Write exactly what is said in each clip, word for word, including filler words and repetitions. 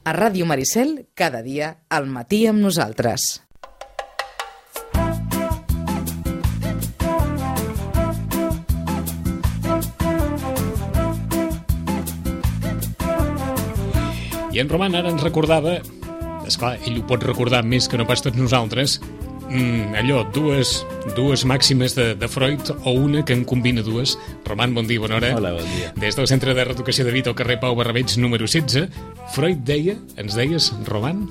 A Ràdio Maricel, cada dia, al matí amb nosaltres. I en Roman ara ens recordava, esclar, ell ho pot recordar més que no pas tots nosaltres, mm, allò, dues, dues màximes de, de Freud, o una que en combina dues. Roman, bon dia, bona hora. Hola, bon dia. Des del Centre de Reeducació de Vic, al carrer Pau Barrabeig, número setze, Freud deia, ens deies, Roman?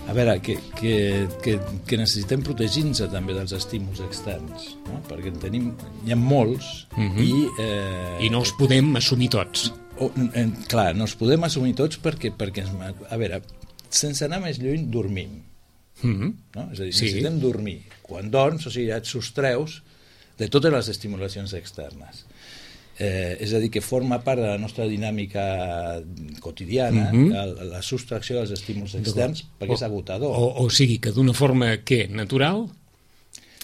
A veure, que, que, que, que necessitem protegir-nos també dels estímuls externs, no? Perquè en tenim, hi ha molts, uh-huh. i... Eh, I no els podem assumir tots. O, eh, clar, no els podem assumir tots perquè, perquè a veure, sense anar més lluny, dormim. Mm-hmm. No? És a dir, sí. necessitem dormir. Quan dorms, o sigui, ja et sostreus de totes les estimulacions externes. Eh, és a dir, que forma part de la nostra dinàmica quotidiana, mm-hmm. la, la sostracció dels estímuls externs, perquè o, és agotador. O, o sigui, que d'una forma, què, natural...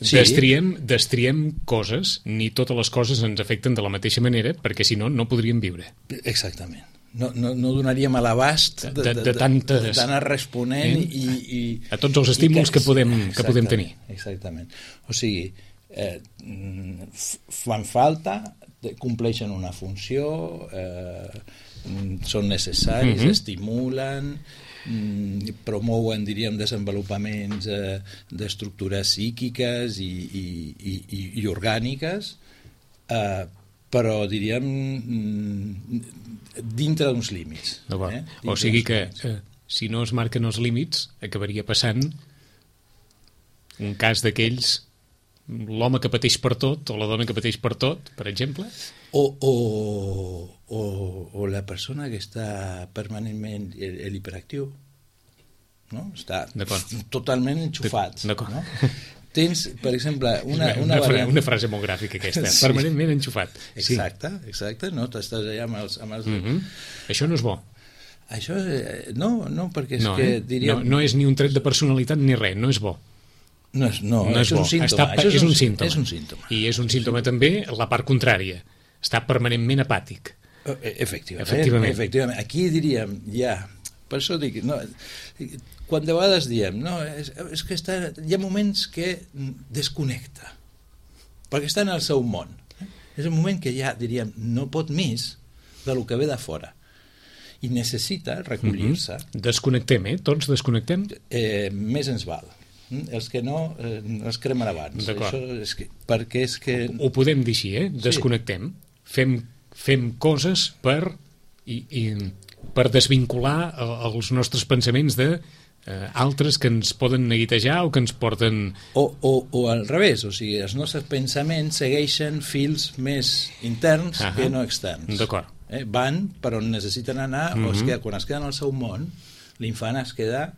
Sí. Destriem, destriem coses, ni totes les coses ens afecten de la mateixa manera, perquè si no, no podríem viure. Exactament. No, no, no donaríem a l'abast de, de, de, de tantes... d'anar responent eh? i, i... a tots els estímuls que, que, podem, que podem tenir. Exactament. O sigui, eh, fan falta, compleixen una funció, eh, són necessaris, mm-hmm. estimulen... promouen, diríem, desenvolupaments eh, d'estructures psíquiques i, i, i, i orgàniques, eh, però, diríem, dintre d'uns límits. Eh? O sigui que, eh, si no es marquen els límits, acabaria passant un cas d'aquells, l'home que pateix per tot, o la dona que pateix per tot, per exemple? O, o, o, o la persona que està permanentment l'hiperactiu, no? Està totalment enxufat. D'acord. No? Tens, per exemple, una, una, una, variant... una frase molt gràfica aquesta, sí. Permanentment enxufat. Exacte, sí. exacte, no? T'estàs allà amb els... Amb els... Mm-hmm. Això no és bo. Això, no, no, perquè és no, que, eh? diríem... No, no és ni un tret de personalitat ni res, no és bo. No és, no, no és, és un símptoma. Està, Això és, és, un un, símptoma. és un símptoma. I és un símptoma també la part contrària. Està permanentment apàtic. Efectivament. Efectivament. Efectivament. Aquí diríem, ja, per això dic, no, quan de vegades diem, no, és, és que està, hi ha moments que desconnecta, perquè està en el seu món. És un moment que ja, diríem, no pot més del que ve de fora. I necessita recollir-se. Mm-hmm. Desconnectem, eh? Tots desconnectem? Eh, més ens val. Els que no, eh, els cremen abans. D'acord. Això és que, perquè és que... Ho, ho podem dir així, eh? Desconnectem. Sí. Fem, fem coses per, i, i, per desvincular els nostres pensaments de eh, altres que ens poden neguitejar o que ens porten... O, o, o al revés, o sigui, els nostres pensaments segueixen fils més interns uh-huh. que no externs. D'acord. Eh? Van per on necessiten anar, uh-huh. o es queda, quan es queden al seu món, l'infant es queda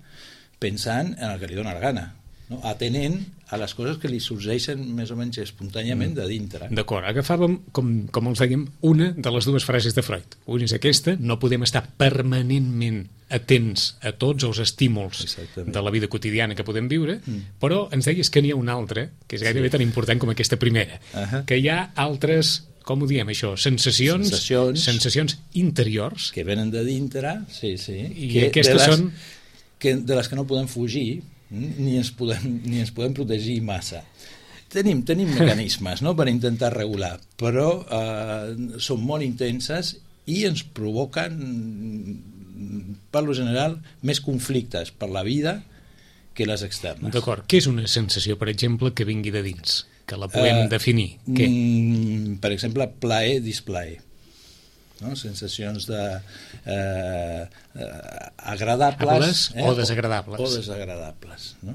pensant en el que li dóna la gana, no? Atenent a les coses que li sorgeixen més o menys espontàniament de dintre. D'acord, agafàvem, com, com els dèiem, una de les dues frases de Freud. Una és aquesta, no podem estar permanentment atents a tots els estímuls Exactament. De la vida quotidiana que podem viure, mm. però ens deies que n'hi ha una altra, que és gairebé sí. tan important com aquesta primera, uh-huh. que hi ha altres, com ho diem això, sensacions, sensacions, sensacions interiors. Que venen de dintre, sí, sí. I que aquestes les, són... Que, de les que no podem fugir, ni ens podem, ni ens podem protegir massa. Tenim, tenim mecanismes, no?, per intentar regular, però eh, són molt intenses i ens provoquen, per lo general, més conflictes per la vida que les externes. D'acord. Què és una sensació, per exemple, que vingui de dins? Que la podem uh, definir? Què? Mm, per exemple, plaer, displaer. No? Sensacions de eh, eh, agradables eh? o desagradables o, o desagradables, no?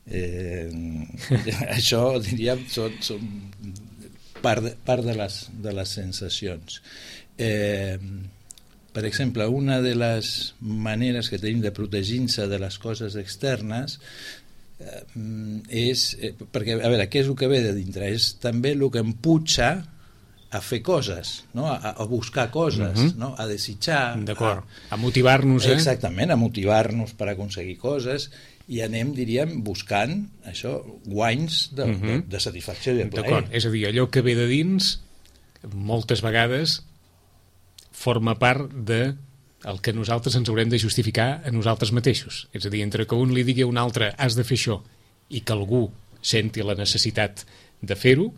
Eh, això diríem són, són part, de, part de, les, de les sensacions. Eh, per exemple, una de les maneres que tenim de protegir-se de les coses externes eh, és, eh, perquè, a veure, què és el que ve de dintre? És també el que em puja a fer coses, no? a, a buscar coses, uh-huh. no? A desitjar, d'acord, a, a motivar-nos, eh? Exactament, a motivar-nos per aconseguir coses, i anem, diríem, buscant això, guanys de, uh-huh. de, de satisfacció i de plaer. D'acord, és a dir, allò que ve de dins moltes vegades forma part de el que nosaltres ens haurem de justificar a nosaltres mateixos. És a dir, entre que un li digui a un altre has de fer això i que algú senti la necessitat de fer-ho,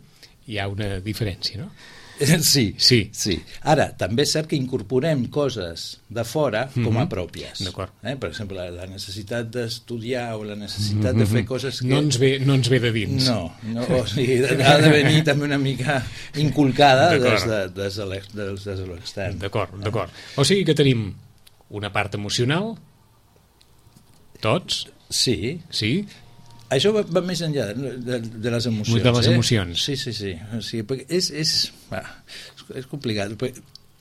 hi ha una diferència, no? Sí, sí, sí. Ara, també és cert que incorporem coses de fora com a pròpies. D'acord. Eh? Per exemple, la necessitat d'estudiar o la necessitat mm-hmm. de fer coses que... No ens ve, no ens ve de dins. No, no o sigui, ha de venir també una mica inculcada des de, des de l'extern. D'acord, d'acord. O sigui que tenim una part emocional, tots. Sí. Sí. Això va, va més enllà de, de, de les emocions. De les emocions. Eh? Sí, sí, sí. O sigui, perquè és, és, va, és complicat.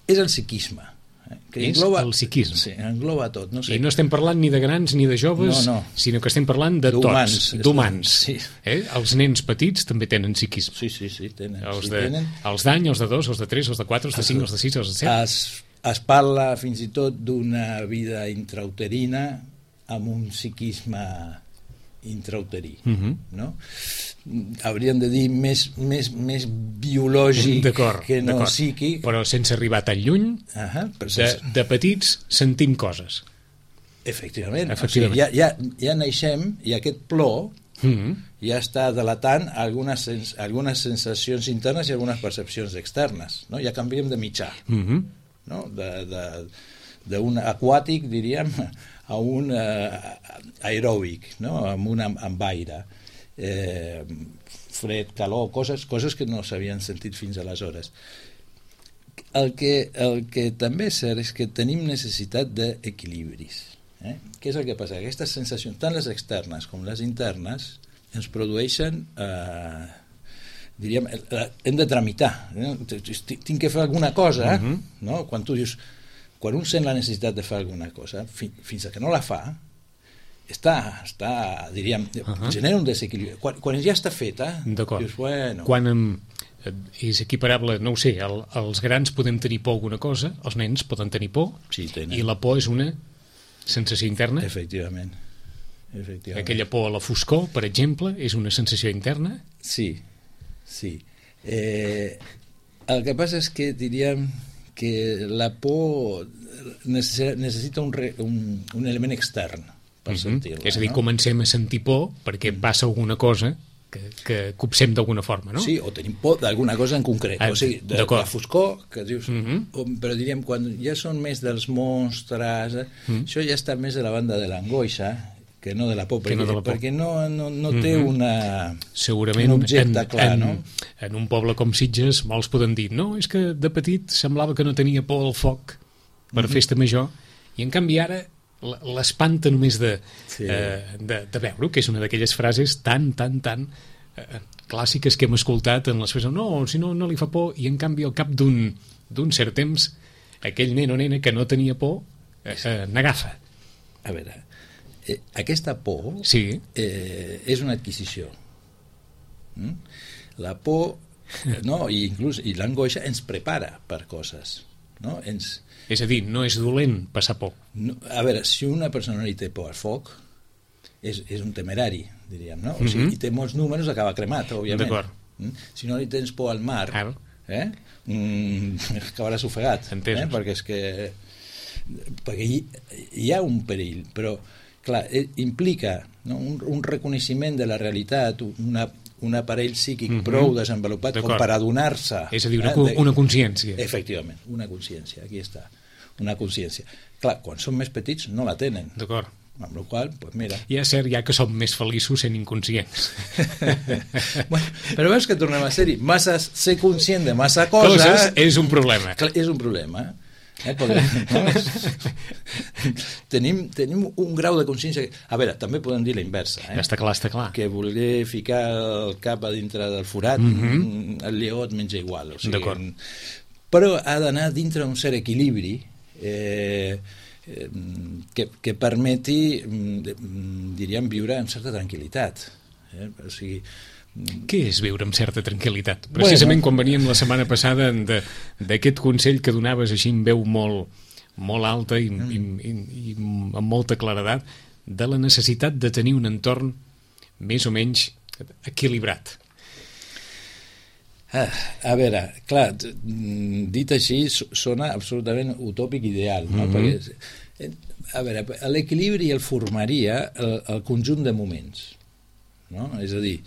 És el psiquisme. Eh? Que és engloba, el psiquisme. Sí, engloba tot. No sé. I no estem parlant ni de grans ni de joves, no, no. sinó que estem parlant de tots, d'humans. Sí. Eh? Els nens petits també tenen psiquisme. Sí, sí, sí, tenen. Els, sí, de, tenen. els d'any, els de dos, els de tres, els de quatre, els de cinc, els de sis, els de set. Es, es parla fins i tot d'una vida intrauterina amb un psiquisme intrauterí, uh-huh. no? Hauríem de dir més, més, més biològic que no psíquic. Però sense arribar tan lluny, uh-huh, sense... de, de petits sentim coses. Efectivament. Efectivament. O sigui, ja, ja, ja naixem i aquest plor uh-huh. ja està delatant algunes, sens algunes sensacions internes i algunes percepcions externes. No? Ja canviem de mitjà. Uh-huh. No? D'un aquàtic, diríem, a un eh, aeròbic, no? amb, una, amb aire, eh, fred, calor, coses, coses que no s'havien sentit fins aleshores. El que, el que també és cert és que tenim necessitat d'equilibris. Eh? Què és el que passa? Aquestes sensacions, tant les externes com les internes, ens produeixen... Eh, diríem, hem de tramitar. Eh? Tinc que fer alguna cosa, uh-huh. no? Quan tu dius... Quan un sent la necessitat de fer alguna cosa, fi, fins que no la fa, està, està diríem, uh-huh. genera un desequilibri. Quan, quan ja està feta, dius, bueno... Quan em, és equiparable, no ho sé, el, els grans podem tenir por a alguna cosa, els nens poden tenir por, sí, i la por és una sensació interna. Efectivament. Efectivament. Aquella por a la foscor, per exemple, és una sensació interna? Sí, sí. Eh, el que passa és que, diríem... que la por necessita un, re, un, un element extern per uh-huh. sentir-la. És a dir, no? comencem a sentir por perquè mm. passa alguna cosa que, que copsem d'alguna forma, no? Sí, o tenim por d'alguna cosa en concret. Ah, o sigui, de, de la foscor, que dius... Uh-huh. o, però diríem, quan ja són més dels monstres, uh-huh. això ja està més de la banda de l'angoixa, que no de la por, perquè, no, de la por. perquè no, no, no té uh-huh. una, segurament un objecte en, clar, en, no? En un poble com Sitges molts poden dir, no, és que de petit semblava que no tenia por al foc per uh-huh. festa major, i en canvi ara l'espanta només de, sí. eh, de, de veure, que és una d'aquelles frases tan, tan, tan eh, clàssiques que hem escoltat en les festes, no, si no, no li fa por, i en canvi al cap d'un d'un cert temps aquell nen o nena que no tenia por eh, eh, n'agafa. A veure, Eh, aquesta por sí. eh, és una adquisició. Mm? La por, no, i inclús i l'angoixa ens prepara per coses. No? Ens... És a dir, no és dolent passar por. No, a veure, si una persona li té por al foc, és, és un temerari, diríem, no? O sigui, mm-hmm. i té molts números, acaba cremat, òbviament. D'acord. Mm? Si no li tens por al mar, ah. eh? mm, acabaràs ofegat. Entesos. Eh? Perquè és que... Perquè hi, hi ha un perill, però clar, implica no, un, un reconeixement de la realitat, una, un aparell psíquic mm-hmm. prou desenvolupat com per adonar-se. És a dir, una, eh, de... una consciència. Efectivament, una consciència, aquí està, una consciència. Clar, quan són més petits no la tenen. D'acord. Amb la qual cosa, pues mira... I és cert, ja que som més feliços sent inconscients. Bueno, però veus que tornem a ser-hi. Massa, ser conscient de massa coses... Coses és un problema. Clar, és un problema, eh? Eh, podem, no? tenim, tenim un grau de consciència que... A veure, també podem dir la inversa, eh? Està clar, està clar. Que voler ficar el cap a dintre del forat, mm-hmm. el lleó et menja igual, o sigui, d'acord. Però ha d'anar dintre un cert equilibri eh, eh, que, que permeti, diríem, viure amb certa tranquil·litat, eh? O sigui, què és viure amb certa tranquil·litat? Precisament bueno. Quan veníem la setmana passada d'aquest consell que donaves així en veu molt, molt alta i, mm. i, i, i amb molta claredat de la necessitat de tenir un entorn més o menys equilibrat. Ah, a veure, clar, dit així sona absolutament utòpic ideal, no? Mm-hmm. Perquè, a veure, l'equilibri el formaria el, el conjunt de moments, no? És a dir,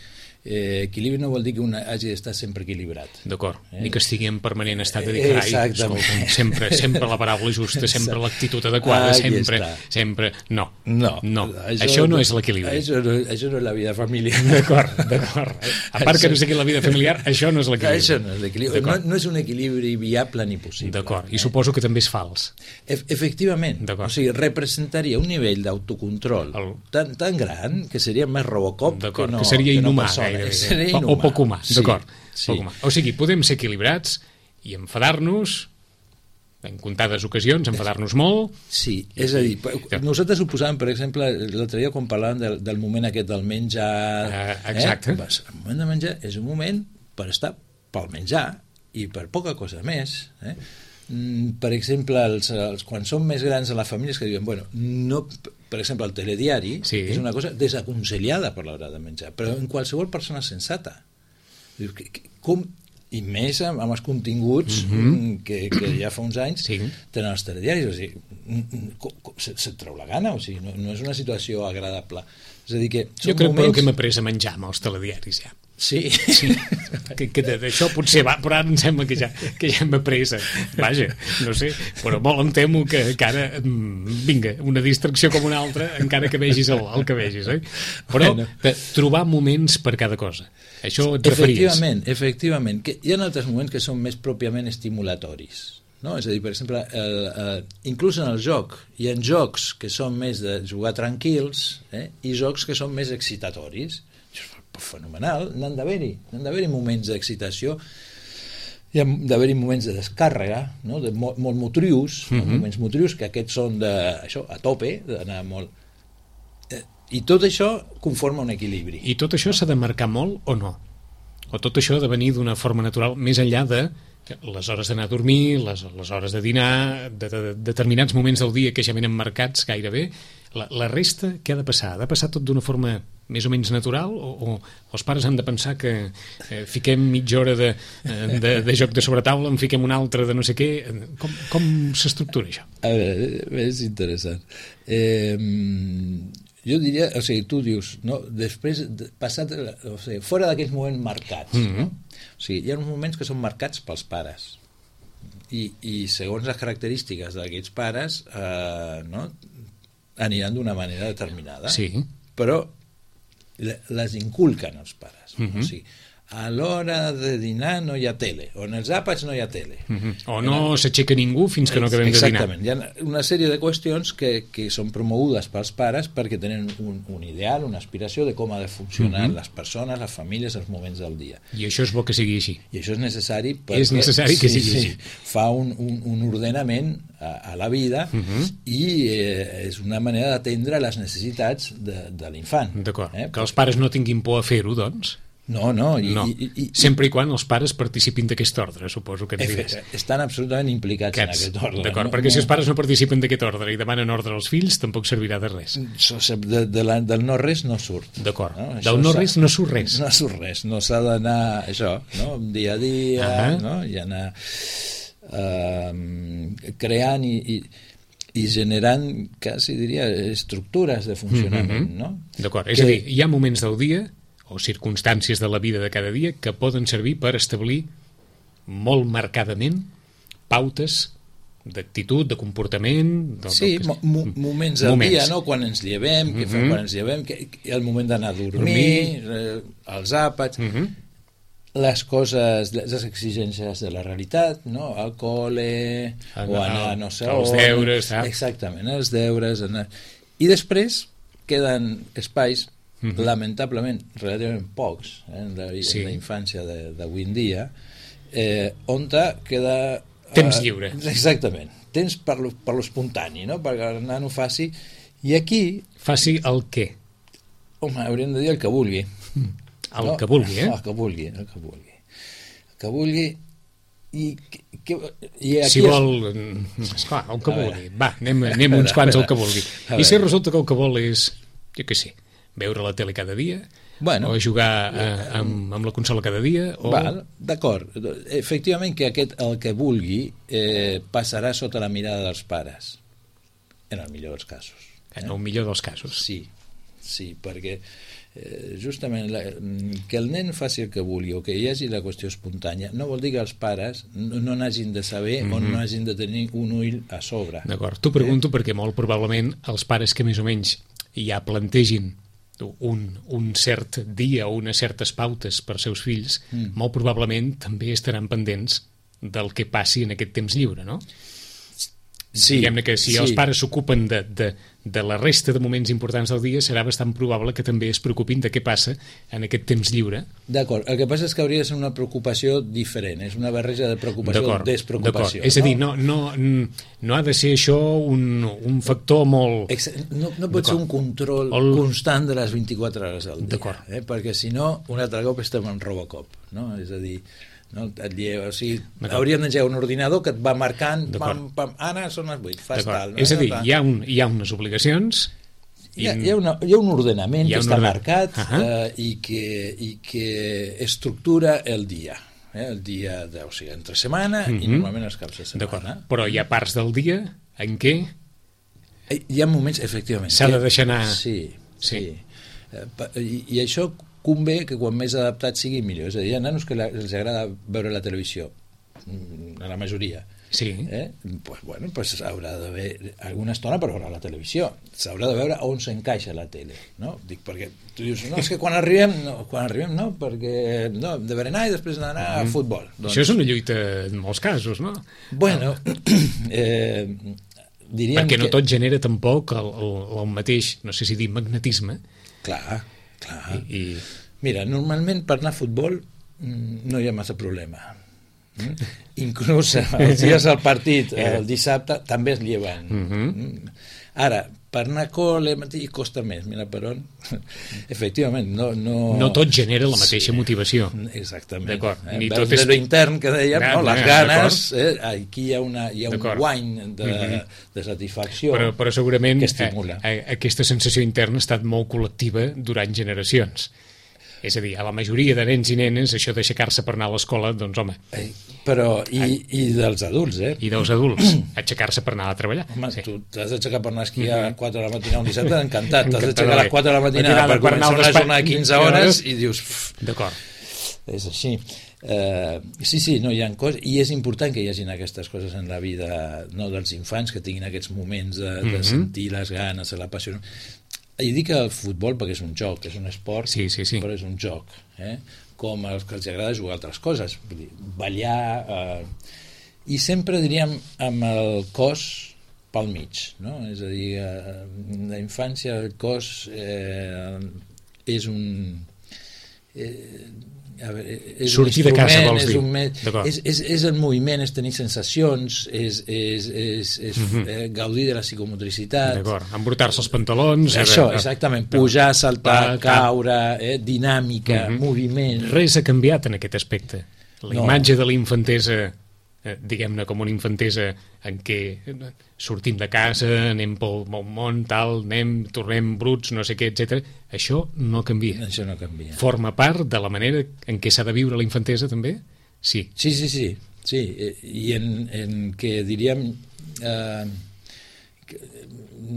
eh, equilibri no vol dir que un hagi d'estar sempre equilibrat. D'acord, eh? Ni que estigui en permanent estat de dir, carai, escolta, sempre, sempre la paraula justa, sempre l'actitud adequada, ah, sempre, sempre... No, no, no. Això, això no és l'equilibri. Això, no, això no és la vida familiar. D'acord, d'acord. A part això... que no sigui la vida familiar, això no és l'equilibri. Això no és l'equilibri. No, no és un equilibri viable ni possible. D'acord, i eh? suposo que també és fals. E efectivament. O sigui, representaria un nivell d'autocontrol el... tan, tan gran que seria més Robocop que no, que seria que no inhumà, persona. Gairebé, o, o poc humà, sí, d'acord. Sí. O sigui, podem ser equilibrats i enfadar-nos en comptades ocasions, enfadar-nos molt. Sí, és a dir, nosaltres ho posàvem, per exemple, l'altre dia quan parlàvem del, del moment aquest del menjar... Uh, exacte. Eh? El moment de menjar és un moment per estar pel menjar i per poca cosa més. Eh? Per exemple, els, els, quan són més grans a la família és que diuen, bueno, no... Per exemple, el telediari sí. és una cosa desaconsellada per l'hora de menjar, però en qualsevol persona sensata. Com, i més amb, amb els continguts mm-hmm. que, que ja fa uns anys sí. tenen els telediaris. O sigui, se't se treu la gana, o sigui, no, no és una situació agradable. És a dir que jo crec moments... que hem après a menjar amb els telediaris ja. Sí, sí. que, que d'això potser va, però ara em sembla que ja, que ja hem après. Vaja, no sé, però molt em temo que, que ara, vinga, una distracció com una altra, encara que vegis el, el que vegis, eh? Però bueno. trobar moments per cada cosa. Això et referies. Efectivament, efectivament. Que hi ha altres moments que són més pròpiament estimulatoris. No? És a dir, per exemple, el, el, inclús en el joc, hi ha jocs que són més de jugar tranquils eh? i jocs que són més excitatoris. Fenomenal, n'han d'haver-hi n'han d'haver-hi moments d'excitació, hi ha d'haver-hi moments de descàrrega, no? de molt, molt motrius, mm-hmm. no? moments motrius que aquests són de, això, a tope, d'anar molt... Eh, i tot això conforma un equilibri. I tot això s'ha de marcar molt o no? O tot això ha de venir d'una forma natural, més enllà de les hores d'anar a dormir, les, les hores de dinar, de, de, de determinats moments del dia que ja venen marcats gairebé, la, la resta què ha de passar? Ha de passar tot d'una forma més o menys natural o, o els pares han de pensar que eh, fiquem mitja hora de, de, de joc de sobretaula, en fiquem una altra de no sé què? Com, com s'estructura això? A veure, és interessant. Eh, jo diria, o sigui, tu dius, no, després, passat, o sigui, fora d'aquells moments marcats, mm-hmm. no? O sigui, hi ha uns moments que són marcats pels pares i, i segons les característiques d'aquests pares eh, no, aniran d'una manera determinada, sí. però les inculquen els pares. Mm-hmm. O sigui, a l'hora de dinar no hi ha tele, o en els àpats no hi ha tele. Mm-hmm. O no en... s'aixeca ningú fins que no acabem de dinar. Exactament. Hi ha una sèrie de qüestions que, que són promogudes pels pares perquè tenen un, un ideal, una aspiració de com ha de funcionar mm-hmm. les persones, les famílies, els moments del dia. I això és bo que sigui així. I això és necessari perquè... És necessari que sigui sí, així. Sí, fa un, un, un ordenament a, a la vida mm-hmm. i eh, és una manera d'atendre les necessitats de, de l'infant. D'acord. Eh? Que els pares no tinguin por a fer-ho, doncs? No, no. I, no. I, i, sempre i quan els pares participin d'aquest ordre, suposo que ens diràs. Estan absolutament implicats Aquests, en aquest ordre. D'acord, no? perquè si els pares no participen d'aquest ordre i demanen ordre als fills, tampoc servirà de res. De, de la, del no res no surt. D'acord, no? Del no res no surt res. No surt res, no s'ha d'anar, això, no? dia a dia, uh-huh. no? i anar uh, creant i... i i generant, quasi diria, estructures de funcionament, mm-hmm. no? D'acord, és que... a dir, hi ha moments del dia o circumstàncies de la vida de cada dia que poden servir per establir molt marcadament pautes d'actitud, de comportament... Del, sí, del que... mo moments del moments. dia, no? Quan ens llevem, què mm-hmm. fem quan ens llevem, que, que el moment d'anar a dormir, dormir. Eh, els àpats... Mm-hmm. les coses, les exigències de la realitat, no? Al col·le, o anar no sé on... Els deures, ah. Exactament, els deures... Anar... I després queden espais, mm-hmm. lamentablement, relativament pocs, eh, en la, sí. la infància d'avui en dia, eh, on queda... Temps lliure. Eh, exactament. Temps per lo, per lo espontani, no? Perquè el nano faci... I aquí... Faci el què? Home, hauríem de dir el que vulgui. Mm. El no, que vulgui, eh? El que vulgui, el que vulgui. El que vulgui i... Que, i aquí si vol... Es... Esclar, el que vulgui. Va, anem, anem uns quants al que vulgui. I si resulta que el que vol és, jo què sé, veure la tele cada dia, bueno, o a jugar a, amb, amb la consola cada dia o... Val, d'acord, efectivament que aquest, el que vulgui eh, passarà sota la mirada dels pares, en el millor dels casos. En el millor dels casos. Sí, sí, perquè eh, justament la, que el nen faci el que vulgui o que hi hagi la qüestió espontània no vol dir que els pares no, no n'hagin de saber mm-hmm. o no hagin de tenir un ull a sobre. D'acord, t'ho pregunto eh? perquè molt probablement els pares que més o menys ja plantegin un, un cert dia o unes certes pautes per seus fills, mm. molt probablement també estaran pendents del que passi en aquest temps lliure, no? Sí, diguem-ne que si sí. els pares s'ocupen de, de, de la resta de moments importants del dia, serà bastant probable que també es preocupin de què passa en aquest temps lliure. D'acord, el que passa és que hauria de ser una preocupació diferent, és una barreja de preocupació o despreocupació. És a dir, no, no, no ha de ser això un, un factor molt... No, no pot ser un control el... constant de les vint-i-quatre hores al dia, eh? Perquè si no, un altre cop estem en Robocop, no? És a dir... No, et lleva, o sigui, hauríem d'engegar un ordinador que et va marcant pam, pam, Anna, són les vuit, fas tal, no? És a dir, hi ha, un, hi ha unes obligacions i... hi, ha, hi, ha una, hi ha un ordenament ha que un està ordenament. marcat uh-huh. eh, i, que, i que estructura el dia, eh? El dia de, o sigui, entre setmana uh-huh. i normalment els caps de setmana. Però hi ha parts del dia en què hi ha moments, efectivament, s'ha de deixar anar. Sí, sí, sí. I, i això convé que quan més adaptat sigui millor. És a dir, hi ha nanos que la, els agrada veure la televisió, a la majoria. Sí. Eh? Pues, bueno, pues haurà d'haver alguna estona per veure la televisió. S'haurà de veure on s'encaixa la tele. No? Dic, perquè tu dius, no, és que quan arribem, no, quan arribem no, perquè no, de berenar i després d'anar mm. a futbol. Doncs... Això és una lluita en molts casos, no? Bueno, eh, diríem perquè no que... tot genera tampoc el, el, el mateix, no sé si dir magnetisme. Clar, clar. I, i... Mira, normalment per anar a futbol no hi ha massa problema. Mm? Inclús els dies al partit, el dissabte, també es lleven. Mm-hmm. Ara, per anar a col·le costa més, mira per on. Efectivament, no... No, no tot genera la mateixa sí, motivació. Exactament. D'acord. Eh? Ni tot és l'intern que dèiem, no, les ganes, eh? Aquí hi ha, una, hi ha un guany de, mm-hmm. de satisfacció però, però segurament que estimula. A, a, aquesta sensació interna ha estat molt col·lectiva durant generacions. És a dir, a la majoria de nens i nenes això d'aixecar-se per anar a l'escola, doncs home... Eh, però, i, i dels adults, eh? I dels adults, aixecar-se per anar a treballar. Home, sí. Tu t'has d'aixecar per anar a esquiar a les quatre de la matinada un dissabte, encantat. T'has d'aixecar a les quatre de la matinada per començar una jornada de quinze hores i dius... D'acord. És així. Uh, sí, sí, no hi ha coses, i és important que hi hagin aquestes coses en la vida, no, dels infants, que tinguin aquests moments de, de sentir les ganes, la passió... I dic el futbol perquè és un joc, és un esport, sí, sí, sí. però és un joc, eh? Com els que els agrada jugar a altres coses, vull dir, ballar, eh... i sempre diríem amb el cos pel mig, no? És a dir, eh, la infància, el cos eh, és un... Eh, a veure, és sortir de casa, vols dir. És, un, és, és, és el moviment, és tenir sensacions, és, és, és, és mm-hmm. eh, gaudir de la psicomotricitat. D'acord, embrutar-se els pantalons. Això, exactament, pujar, saltar, no. caure, eh, dinàmica, mm-hmm. moviment. Res ha canviat en aquest aspecte. La no. imatge de la infantesa, eh, diguem-ne com una infantesa en què sortim de casa, anem pel món, tal, anem, tornem bruts, no sé què, etcètera. Això no canvia. Això no canvia. Forma part de la manera en què s'ha de viure la infantesa, també? Sí. Sí, sí, sí. sí. I en, en què diríem... Eh,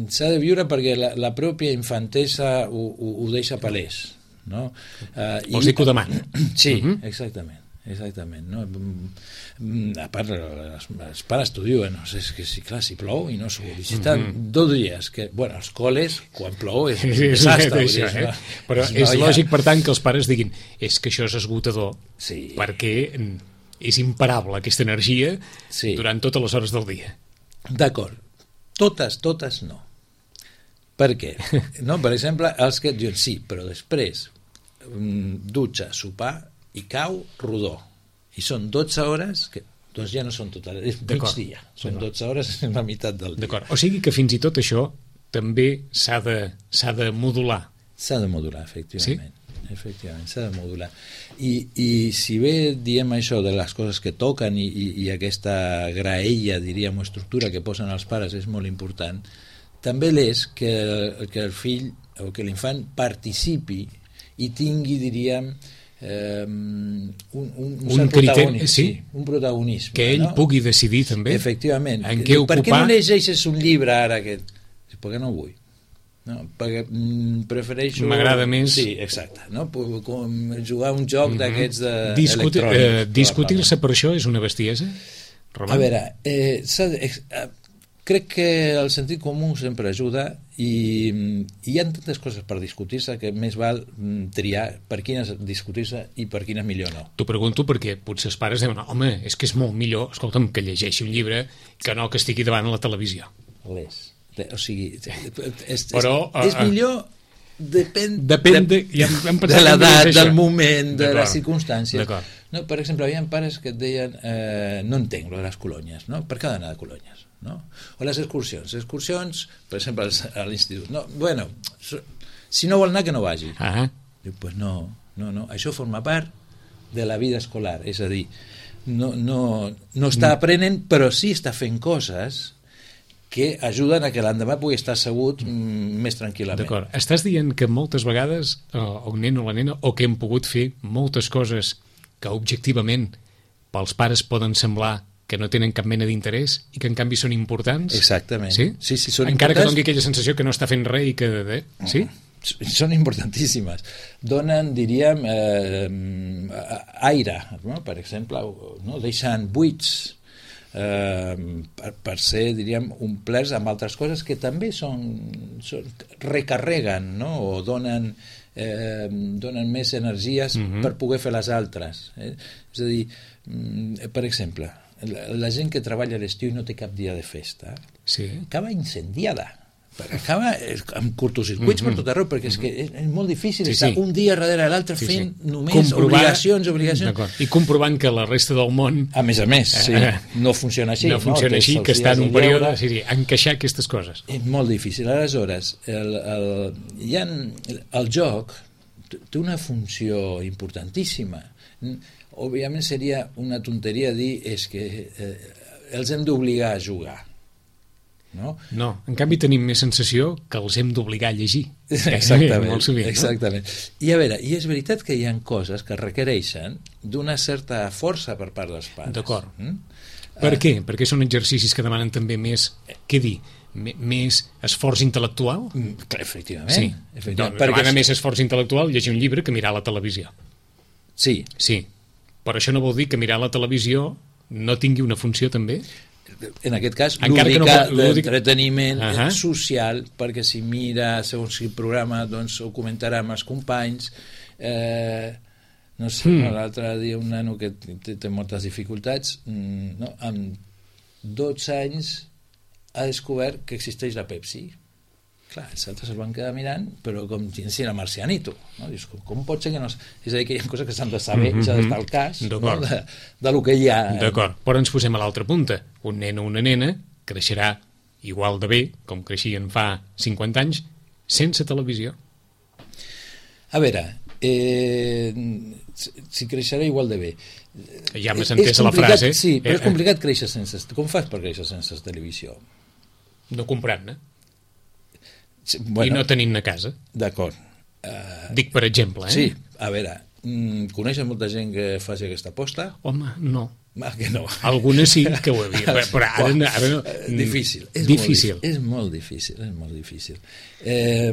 s'ha de viure perquè la, la pròpia infantesa ho, ho, ho deixa palès. No? Eh, Vols dir que ho demana? Sí, uh-huh. exactament. Exactament, no? A part els, els pares t'ho diuen, no sé, és que si clar, si plou i no s'ho visiten mm-hmm. dos dies, que, bueno, els col·les quan plou és un sí, desastre sí, això, eh? però és, és lògic per tant que els pares diguin és que això és esgotador sí. perquè és imparable aquesta energia sí. durant totes les hores del dia. D'acord, totes, totes no. Per què? No, per exemple, els que et diuen sí, però després dutxa, sopar i cau rodó i són dotze hores que doncs ja no són totes, és migdia són dotze hores, és la meitat del dia. D'acord. O sigui que fins i tot això també s'ha de, s'ha de modular. S'ha de modular, efectivament. Sí? Efectivament, s'ha de modular. I, i si bé diem això de les coses que toquen i, i, i aquesta graella, diríem, o estructura que posen els pares és molt important, també l'és que, que el fill o que l'infant participi i tingui, diríem, eh, un, un, un, un criteri, sí, sí, un protagonisme. Que ell no? pugui decidir també. Efectivament. En què ocupar... Per què no llegeixes un llibre ara? Que... Perquè no vull. No, perquè mm, prefereixo... M'agrada més... Sí, exacte. No? Com jugar un joc mm -hmm. d'aquests de... Discuti eh, Discutir-se per això és una bestiesa? Roman? A veure, eh, eh, crec que el sentit comú sempre ajuda i, i hi ha tantes coses per discutir-se que més val triar per quines discutir-se i per quines millor no. T'ho pregunto perquè potser els pares diuen home, és que és molt millor, escolta'm, que llegeixi un llibre que no que estigui davant a la televisió. L'és. O sigui, és, Però, és, és millor depèn, depèn de, ja hem de l'edat, del moment, de les circumstàncies. No, per exemple, hi havia pares que et deien eh, no entenc lo de les colònies, no? Per què ha d'anar de colònies? No? O les excursions. Excursions, per exemple, a l'institut. No, bueno, si no vol anar, que no vagi. Ah. Diu, pues no, no, no, això forma part de la vida escolar, és a dir, no, no, no està aprenent, però sí està fent coses que ajuden a que l'endemà pugui estar assegut mm, més tranquil·lament. D'acord. Estàs dient que moltes vegades eh, el nen o la nena, o que hem pogut fer moltes coses que objectivament pels pares poden semblar que no tenen cap mena d'interès i que en canvi són importants? Exactament. Sí? Sí, sí, són encara importants... que doni aquella sensació que no està fent res i que... Eh? Sí? Són importantíssimes. Donen, diríem, eh, aire, no? Per exemple, no? Deixen buits eh, per, per ser, diríem, omplerts amb altres coses que també són, són recarreguen, no? O donen, eh, donen més energies mm-hmm. per poder fer les altres. Eh? És a dir, per exemple, la, la gent que treballa a l'estiu i no té cap dia de festa sí. acaba incendiada. Perquè acaba amb curtocircuits mm-hmm. per tot arreu, perquè és que és, és molt difícil sí, estar sí. un dia darrere l'altre sí, fent sí. només Comprovar... obligacions, obligacions. I comprovant que la resta del món... A més a més, sí, eh, no funciona així. No funciona no? així, que està en un període... Sí, sí, encaixar aquestes coses. És molt difícil. Aleshores, el, el, hi ha, el joc té una funció importantíssima. Òbviament seria una tonteria dir és que eh, els hem d'obligar a jugar. No? no, en canvi tenim més sensació que els hem d'obligar a llegir. Exactament, molt sovint, exactament. No? I a veure, i és veritat que hi ha coses que requereixen d'una certa força per part dels pares. D'acord. Mm? Per uh, què? Perquè són exercicis que demanen també més, què dir, M més esforç intel·lectual? Mm, efectivament. Sí, efectivament. No, perquè demana més esforç intel·lectual llegir un llibre que mirar la televisió. Sí. Sí, però això no vol dir que mirar la televisió no tingui una funció també? En aquest cas, lúdica, no, d'entreteniment uh -huh. social, perquè si mira segons quin programa, doncs ho comentarà amb els companys. Eh, no sé, mm. no, l'altre dia un nano que té, té moltes dificultats, no, amb dotze anys ha descobert que existeix la Pepsi. Clar, els altres es van quedar mirant, però com si era marcianito. No? Dius, com, com pot ser que no... És a dir, que hi ha coses que s'han de saber, mm-hmm. s'ha d'estar al cas no? de, de lo que hi ha. D'acord, però ens posem a l'altra punta. Un nen o una nena creixerà igual de bé, com creixien fa cinquanta anys, sense televisió. A veure, eh, si creixerà igual de bé... Ja m'has entès la frase. Sí, però és complicat créixer sense... Com fas per créixer sense televisió? No comprant-ne. Bueno, i no tenint a casa. D'acord. Uh, Dic per exemple, eh? Sí, a veure, mm, coneixes molta gent que faci aquesta aposta? Home, no. Ah, que no. Algunes sí que ho havia, però ara, no, ara no. Difícil. És difícil. Molt, és molt difícil, és molt difícil. Eh,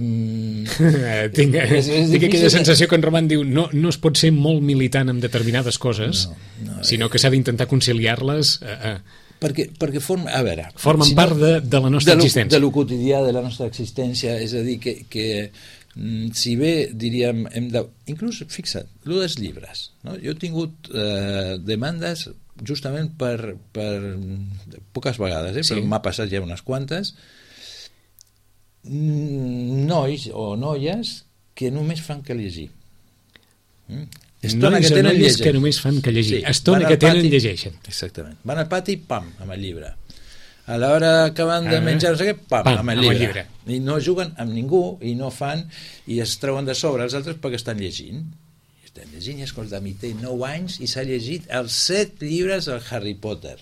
tinc és, és tinc aquella sensació que en Roman diu no, no es pot ser molt militant en determinades coses, no, no, sinó que s'ha d'intentar conciliar-les... Eh, eh, perquè, perquè forma, a veure, formen si part no, de, de la nostra de lo, existència, de lo quotidià de la nostra existència, és a dir que, que si bé diríem hem de, inclús fixa't, lo dels llibres, no? Jo he tingut eh, demandes justament per, per poques vegades, eh? Sí. Però m'ha passat ja unes quantes, nois o noies que només fan que llegir. Mm? Estona que tenen llegeixen. Que només fan que llegir. Sí, estona que tenen pati, llegeixen. Exactament. Van al pati, pam, amb el llibre. A l'hora que van de menjar, no sé què, pam, pam amb, el amb el llibre. I no juguen amb ningú, i no fan, i es treuen de sobre els altres perquè estan llegint. I estan llegint, i escolta, mi té nou anys i s'ha llegit els set llibres del Harry Potter.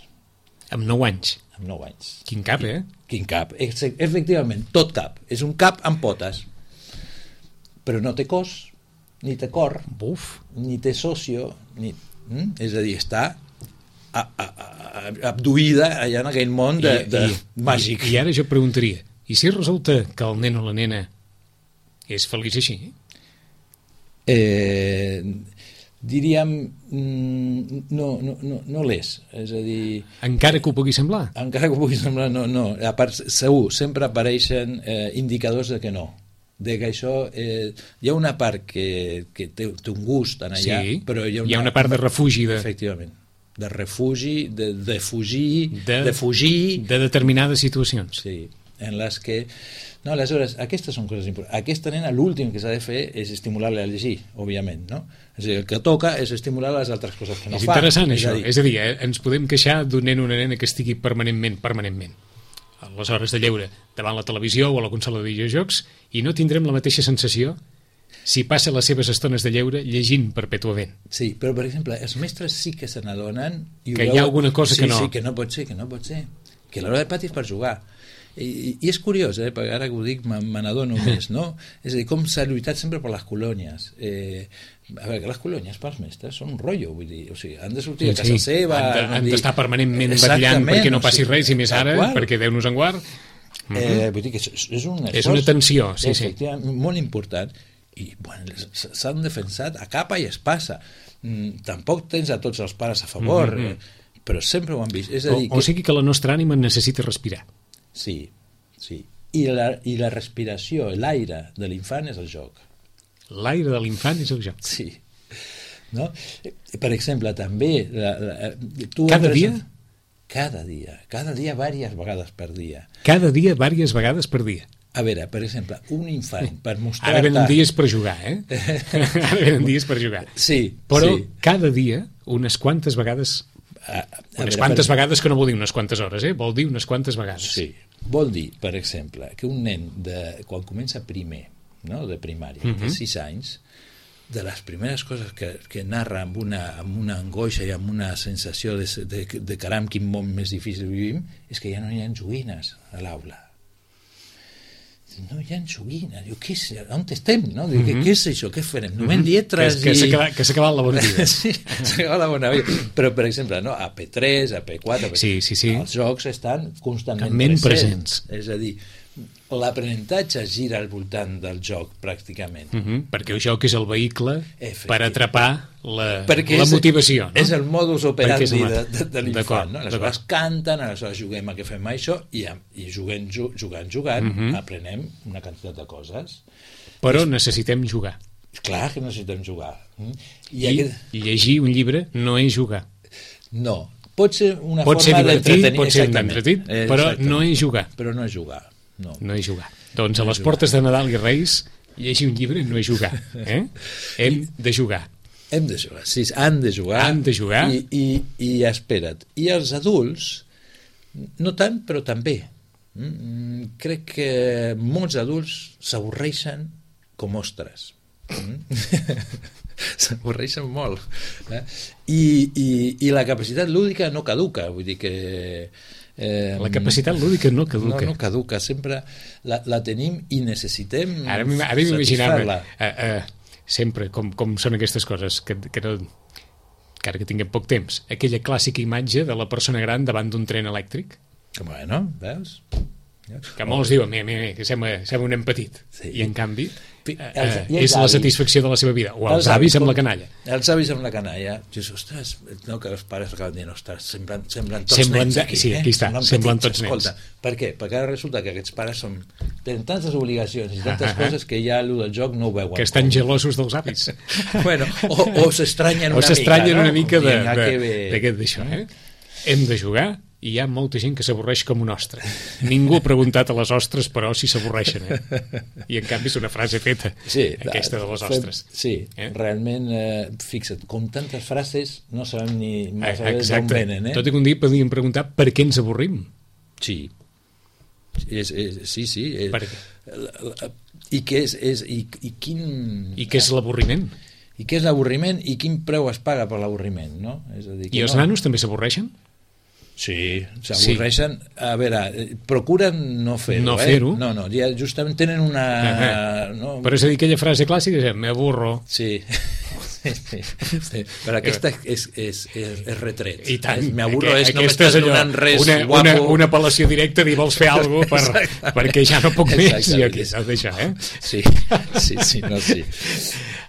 Amb nou anys? Amb nou anys. Quin cap, eh? Quin cap. Efectivament, tot cap. És un cap amb potes. Però no té cos, ni té cor, Buf. ni té socio, ni... Mm? És a dir, està a, a, a, abduïda allà en aquell món de, I, de i, màgic. I, I ara jo preguntaria, i si resulta que el nen o la nena és feliç així? Eh, diríem, mm, no, no, no, no l'és. És a dir... Encara que ho pugui semblar? Encara que ho pugui semblar, no, no. A part, segur, sempre apareixen eh, indicadors de que no. De que això... Eh, hi ha una part que, que té, té un gust en allà, Sí, però hi ha una, hi ha una part de refugi. De... Efectivament. De refugi, de, de fugir, de, de fugir... De determinades situacions. Sí, en les que... No, aleshores, aquestes són coses importants. Aquesta nena, l'últim que s'ha de fer és estimular-la a llegir, òbviament, no? És a dir, el que toca és estimular les altres coses que no és fa. És interessant, és això. A dir... És a dir, eh, ens podem queixar d'un nen o una nena que estigui permanentment, permanentment, a les hores de lleure, davant la televisió o a la consola de videojocs, i no tindrem la mateixa sensació si passa les seves estones de lleure llegint perpètuament. Sí, però, per exemple, els mestres sí que se n'adonen... Que hi ha alguna cosa sí, que no. Sí, que no pot ser, que no pot ser. Que l'hora del pati és per jugar. I, i és curiós, eh, perquè ara que ho dic me, me n'adono més, no? És a dir, com s'ha lluitat sempre per les colònies. Eh, a veure, que les colònies pels mestres són un rotllo, vull dir, o sigui, han de sortir Sí, de casa sí. seva... Han d'estar de, permanentment vetllant perquè no passi o sigui, res, i més ara, perquè Déu-nos en guard. Uh-huh. Eh, vull dir que és, és un esforç... És una tensió, sí, sí. Molt important, i bueno, s'han defensat a capa i espasa. Mm, tampoc tens a tots els pares a favor, mm -hmm. eh, però sempre ho han vist. És a dir, o, o sigui que la nostra ànima necessita respirar. Sí, sí. I la, i la respiració, l'aire de l'infant és el joc. L'aire de l'infant és el joc. Sí. No? Per exemple, també... La, la, tu Cada entres... dia? Cada dia. Cada dia, diverses vegades per dia. Cada dia, diverses vegades per dia. A veure, per exemple, un infant, per mostrar... Ara venen dies per jugar, eh? Ara venen dies per jugar. Sí, Però sí. cada dia, unes quantes vegades... A, a unes veure, quantes per... vegades, que no vol dir unes quantes hores, eh? Vol dir unes quantes vegades. Sí. Vol dir, per exemple, que un nen, de, quan comença primer, no?, de primària, uh -huh. de sis anys, de les primeres coses que, que narra amb una, amb una angoixa i amb una sensació de, de, de caram, quin món més difícil vivim, és que ja no hi ha joguines a l'aula. No hi ha joguines. Diu, què és? On estem? No? Diu, uh -huh. què, què és això? Què farem? Només uh -huh. lletres que, i... Que s'ha acabat la bona vida. Sí, s'ha acabat la bona vida. Però, per exemple, no? a P tres, a P quatre... Sí, sí, sí. Els jocs estan constantment presents. presents. És a dir, l'aprenentatge gira al voltant del joc, pràcticament. Uh -huh. Perquè el joc és el vehicle per atrapar la, la és, motivació. No? És el modus operandi el... de, de, de l'infant. No? Aleshores canten, aleshores juguem a què fem això, i, i juguem, jugant, jugant, uh -huh. aprenem una quantitat de coses. Però I, necessitem jugar. Clar que necessitem jugar. I, I aquest... llegir un llibre no és jugar. No. Pot ser una pot forma d'entretenir. Pot ser d'entretenir, però no és jugar. Però no és jugar. No. no és jugar. Doncs no a les jugar. Portes de Nadal i Reis, llegir un llibre no és jugar. Eh? Hem de jugar. Hem de jugar, sí, han de jugar. Han de jugar. I, i, i espera't. I els adults, no tant, però també. Mm, crec que molts adults s'avorreixen com ostres. Mm? S'avorreixen molt. Eh? I, i, I la capacitat lúdica no caduca, vull dir que... Eh, la capacitat lúdica no caduca. No, no caduca, sempre la, la tenim i necessitem ara m'imaginava eh, eh, sempre com, com són aquestes coses que, que, no, que ara que tinguem poc temps, aquella clàssica imatge de la persona gran davant d'un tren elèctric. Bueno, veus? Que molts diuen, mira, mira, que sembla, sembla un nen petit, sí. I en canvi eh, els, i és la satisfacció de la seva vida, o els, els avis amb la canalla. Els avis amb la canalla, dius, ostres, no, que els pares acaben dient, ostres, semblen, semblen tots semblen, nens aquí, sí, aquí està, eh? semblen tots nens. Escolta, per què? Perquè ara resulta que aquests pares són, tenen tantes obligacions i tantes uh -huh. coses que ja allò del joc no ho veuen. Que estan com. gelosos dels avis. Bueno, o, o s'estranyen una, una mica, no? una mica d'això, eh? Hem de jugar, i hi ha molta gent que s'avorreix com un ostre. Ningú ha preguntat a les ostres, però si s'avorreixen, eh? I en canvi és una frase feta, sí, aquesta de les ostres. Sí, eh? realment, eh, fixa't, com tantes frases no sabem ni d'on venen, eh? Tot i que un dia podríem preguntar per què ens avorrim. Sí, és, és, sí, sí. És, per què? I què és, és i, i quin... I què és l'avorriment? I què és l'avorriment i quin preu es paga per l'avorriment, no? És a dir, que I els no... nanos també s'avorreixen? Sí, s'avorreixen. Sí. A veure, procuren no fer-ho. No eh? fer-ho? No, no, ja justament tenen una... Uh-huh. No? Però és a dir, aquella frase clàssica és me aburro. Sí. Sí, sí. Però aquesta és, és, és, és retret. I tant. Me aburro és no m'estàs donant res una, guapo. Una, una apel·lació directa dir vols fer alguna cosa per, perquè ja no puc més i aquí s'ha de deixar, eh? Sí, sí, sí, no, sí.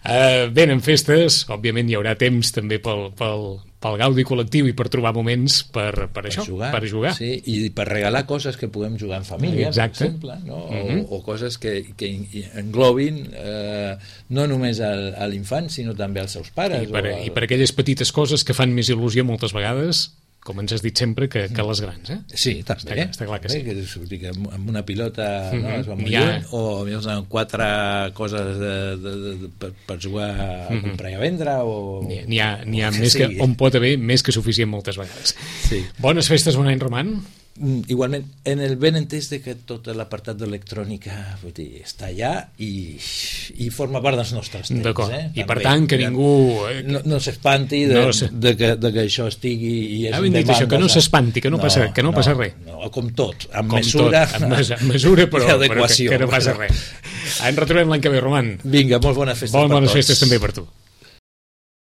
Uh, venen festes, òbviament hi haurà temps també pel, pel, pel gaudi col·lectiu i per trobar moments per, per, per això, jugar, per jugar. Sí, i per regalar coses que puguem jugar en família, exacte. Per exemple, no? o, uh-huh. o coses que, que englobin eh, no només al, a l'infant, sinó també als seus pares. I per, o al... I per aquelles petites coses que fan més il·lusió moltes vegades, com ens has dit sempre, que, que les grans, eh? Sí, també. Està, està clar que sí. Que, que amb una pilota uh-huh. no, es va molt ha... lluny, o amb quatre coses de, de, de, de, per, per jugar a uh-huh. comprar i a vendre, o... N'hi ha, n'hi ha, n'hi ha més que, on pot haver més que suficient moltes vegades. Sí. Bones festes, bon any, Roman. Igualment, en el ben entès de que tot l'apartat d'electrònica vull dir, està allà i, i forma part dels nostres temps. D'acord, eh? i per tant que ningú... No, no s'espanti de, no sé. de, que, de que això estigui... I és ah, ben dit això, que no s'espanti, que no, no passa, que no, no passa res. No, com tot, amb com mesura... Tot, amb, mes, amb mesura, però, però que, que no passa res. Ens retrobem l'any que ve, Roman. Vinga, molt bones festes Molt per bones tots. festes també per tu.